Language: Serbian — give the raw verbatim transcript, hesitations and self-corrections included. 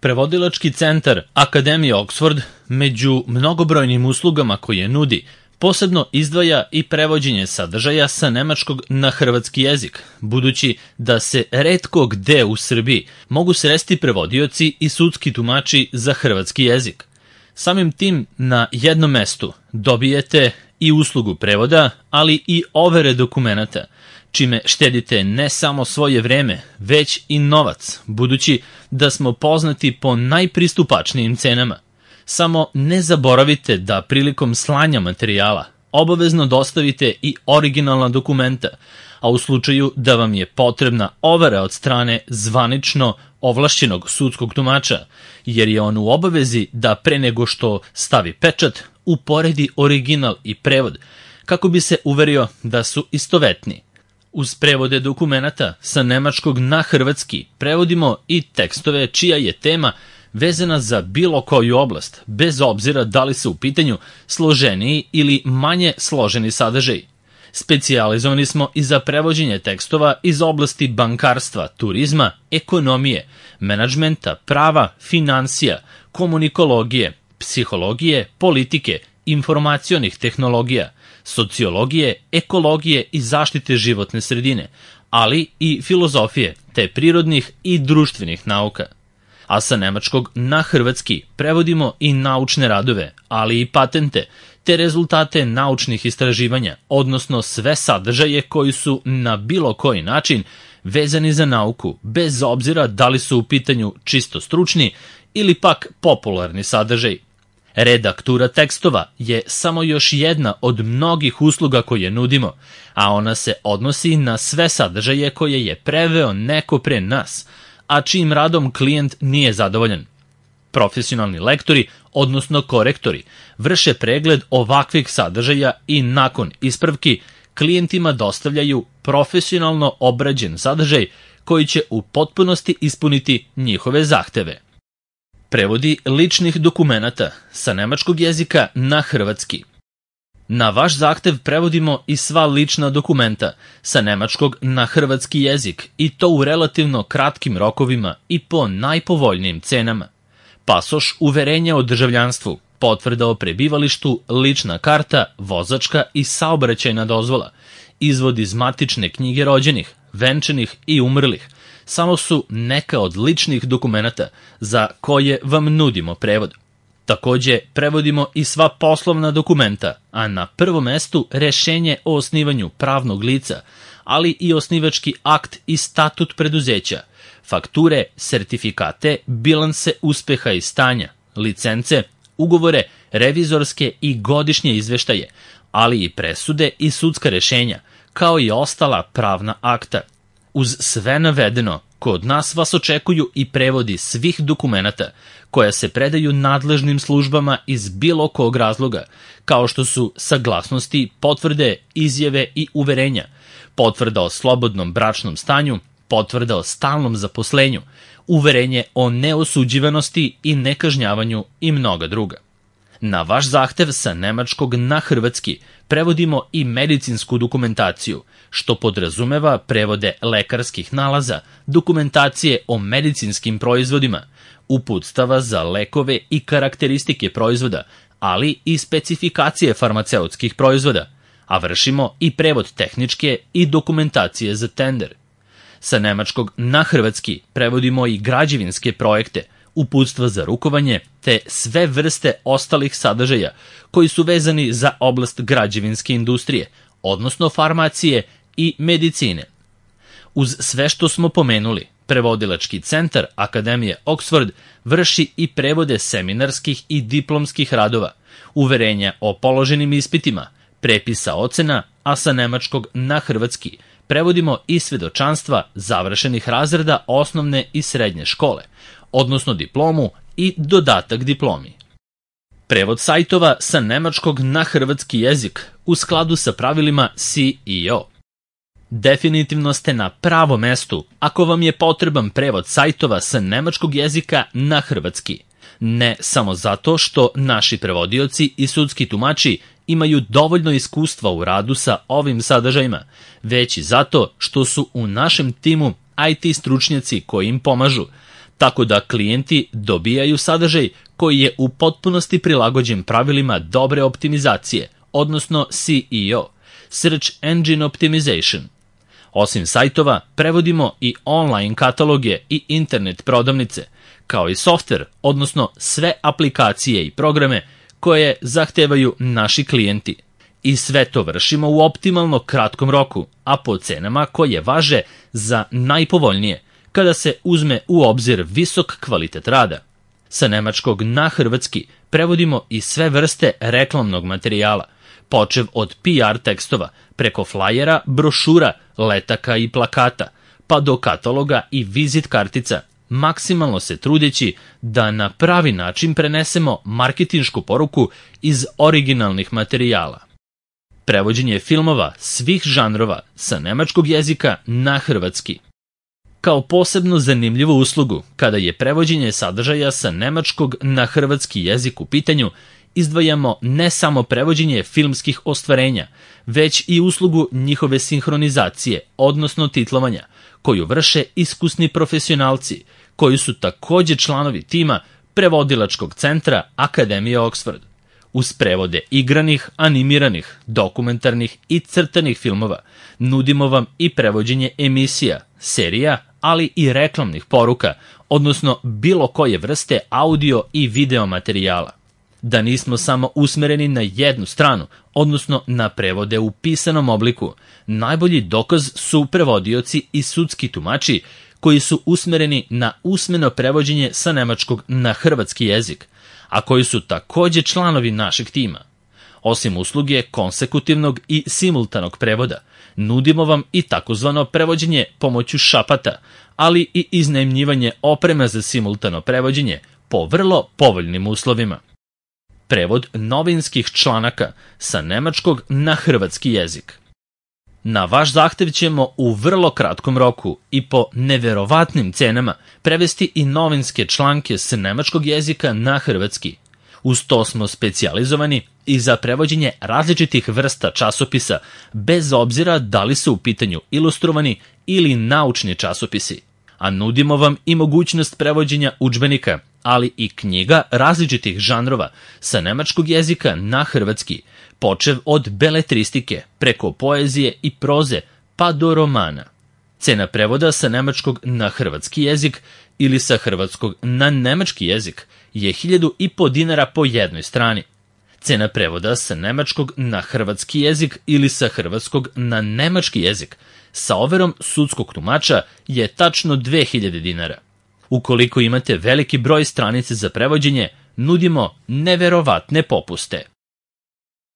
Prevodilački centar Akademije Oxford među mnogobrojnim uslugama koje nudi posebno izdvaja i prevođenje sadržaja sa nemačkog na hrvatski jezik, budući da se retko gde u Srbiji mogu sresti prevodioci i sudski tumači za hrvatski jezik. Samim tim na jednom mestu dobijete i uslugu prevoda, ali i overe dokumenata, čime štedite ne samo svoje vreme, već i novac, budući da smo poznati po najpristupačnijim cenama. Samo ne zaboravite da prilikom slanja materijala obavezno dostavite i originalna dokumenta, a u slučaju da vam je potrebna overa od strane zvanično ovlašćenog sudskog tumača, jer je on u obavezi da pre nego što stavi pečat uporedi original i prevod, kako bi se uverio da su istovetni. Uz prevode dokumenata sa nemačkog na hrvatski prevodimo i tekstove čija je tema vezana za bilo koju oblast, bez obzira da li se u pitanju složeniji ili manje složeni sadržaj. Specijalizovani smo i za prevođenje tekstova iz oblasti bankarstva, turizma, ekonomije, menadžmenta, prava, finansija, komunikologije, psihologije, politike, informacionih tehnologija, sociologije, ekologije i zaštite životne sredine, ali i filozofije, te prirodnih i društvenih nauka. A sa nemačkog na hrvatski prevodimo i naučne radove, ali i patente, te rezultate naučnih istraživanja, odnosno sve sadržaje koji su na bilo koji način vezani za nauku, bez obzira da li su u pitanju čisto stručni ili pak popularni sadržaj. Redaktura tekstova je samo još jedna od mnogih usluga koje nudimo, a ona se odnosi na sve sadržaje koje je preveo neko pre nas, a čijim radom klijent nije zadovoljan. Profesionalni lektori, odnosno korektori, vrše pregled ovakvih sadržaja i nakon ispravki klijentima dostavljaju profesionalno obrađen sadržaj koji će u potpunosti ispuniti njihove zahteve. Prevodi ličnih dokumenata sa nemačkog jezika na hrvatski. Na vaš zahtev prevodimo i sva lična dokumenta sa nemačkog na hrvatski jezik i to u relativno kratkim rokovima i po najpovoljnijim cenama. Pasoš, uverenje o državljanstvu, potvrda o prebivalištu, lična karta, vozačka i saobraćajna dozvola, izvod iz matične knjige rođenih, venčanih i umrlih, samo su neka od ličnih dokumenata za koje vam nudimo prevod. Takođe, prevodimo i sva poslovna dokumenta, a na prvom mestu rešenje o osnivanju pravnog lica, ali i osnivački akt i statut preduzeća, fakture, sertifikate, bilanse uspeha i stanja, licence, ugovore, revizorske i godišnje izveštaje, ali i presude i sudska rešenja, kao i ostala pravna akta. Uz sve navedeno, kod nas vas očekuju i prevodi svih dokumenata koja se predaju nadležnim službama iz bilo kog razloga, kao što su saglasnosti, potvrde, izjave i uverenja, potvrda o slobodnom bračnom stanju, potvrda o stalnom zaposlenju, uverenje o neosuđivanosti i nekažnjavanju i mnoga druga. Na vaš zahtev sa nemačkog na hrvatski prevodimo i medicinsku dokumentaciju, što podrazumeva prevode lekarskih nalaza, dokumentacije o medicinskim proizvodima, uputstava za lekove i karakteristike proizvoda, ali i specifikacije farmaceutskih proizvoda, a vršimo i prevod tehničke i dokumentacije za tender. Sa nemačkog na hrvatski prevodimo i građevinske projekte, uputstva za rukovanje, te sve vrste ostalih sadržaja koji su vezani za oblast građevinske industrije, odnosno farmacije i medicine. Uz sve što smo pomenuli, Prevodilački centar Akademije Oxford vrši i prevode seminarskih i diplomskih radova, uverenja o položenim ispitima, prepisa ocena, a sa nemačkog na hrvatski prevodimo i svedočanstva završenih razreda osnovne i srednje škole, odnosno diplomu i dodatak diplomi. Prevod sajtova sa nemačkog na hrvatski jezik u skladu sa pravilima S E O. Definitivno ste na pravom mestu ako vam je potreban prevod sajtova sa nemačkog jezika na hrvatski. Ne samo zato što naši prevodioci i sudski tumači imaju dovoljno iskustva u radu sa ovim sadržajima, već i zato što su u našem timu I T stručnjaci koji im pomažu, tako da klijenti dobijaju sadržaj koji je u potpunosti prilagođen pravilima dobre optimizacije, odnosno S E O, Search Engine Optimization. Osim sajtova, prevodimo i online kataloge i internet prodavnice, kao i softver, odnosno sve aplikacije i programe koje zahtevaju naši klijenti. I sve to vršimo u optimalno kratkom roku, a po cenama koje važe za najpovoljnije, kada se uzme u obzir visok kvalitet rada. Sa nemačkog na hrvatski prevodimo i sve vrste reklamnog materijala, počev od P R tekstova, preko flajera, brošura, letaka i plakata, pa do kataloga i vizit kartica, maksimalno se trudeći da na pravi način prenesemo marketinšku poruku iz originalnih materijala. Prevođenje filmova svih žanrova sa nemačkog jezika na hrvatski. Kao posebno zanimljivu uslugu, kada je prevođenje sadržaja sa nemačkog na hrvatski jezik u pitanju, izdvajamo ne samo prevođenje filmskih ostvarenja, već i uslugu njihove sinhronizacije, odnosno titlovanja, koju vrše iskusni profesionalci, koji su takođe članovi tima prevodilačkog centra Akademije Oxford. Uz prevode igranih, animiranih, dokumentarnih i crtanih filmova, nudimo vam i prevođenje emisija, serija, ali i reklamnih poruka, odnosno bilo koje vrste audio i video materijala. Da nismo samo usmereni na jednu stranu, odnosno na prevode u pisanom obliku, najbolji dokaz su prevodioci i sudski tumači koji su usmereni na usmeno prevođenje sa nemačkog na hrvatski jezik, a koji su takođe članovi našeg tima. Osim usluge konsekutivnog i simultanog prevoda, nudimo vam i takozvano prevođenje pomoću šapata, ali i iznajmljivanje opreme za simultano prevođenje po vrlo povoljnim uslovima. Prevod novinskih članaka sa nemačkog na hrvatski jezik. Na vaš zahtev ćemo u vrlo kratkom roku i po neverovatnim cenama prevesti i novinske članke s nemačkog jezika na hrvatski. Uz to smo specijalizovani i za prevođenje različitih vrsta časopisa, bez obzira da li su u pitanju ilustrovani ili naučni časopisi. A nudimo vam i mogućnost prevođenja udžbenika, ali i knjiga različitih žanrova sa nemačkog jezika na hrvatski, počev od beletristike, preko poezije i proze, pa do romana. Cena prevoda sa nemačkog na hrvatski jezik ili sa hrvatskog na nemački jezik je hiljadu i po dinara po jednoj strani. Cena prevoda sa nemačkog na hrvatski jezik ili sa hrvatskog na nemački jezik sa overom sudskog tumača je tačno dve hiljade dinara. Ukoliko imate veliki broj stranice za prevođenje, nudimo neverovatne popuste.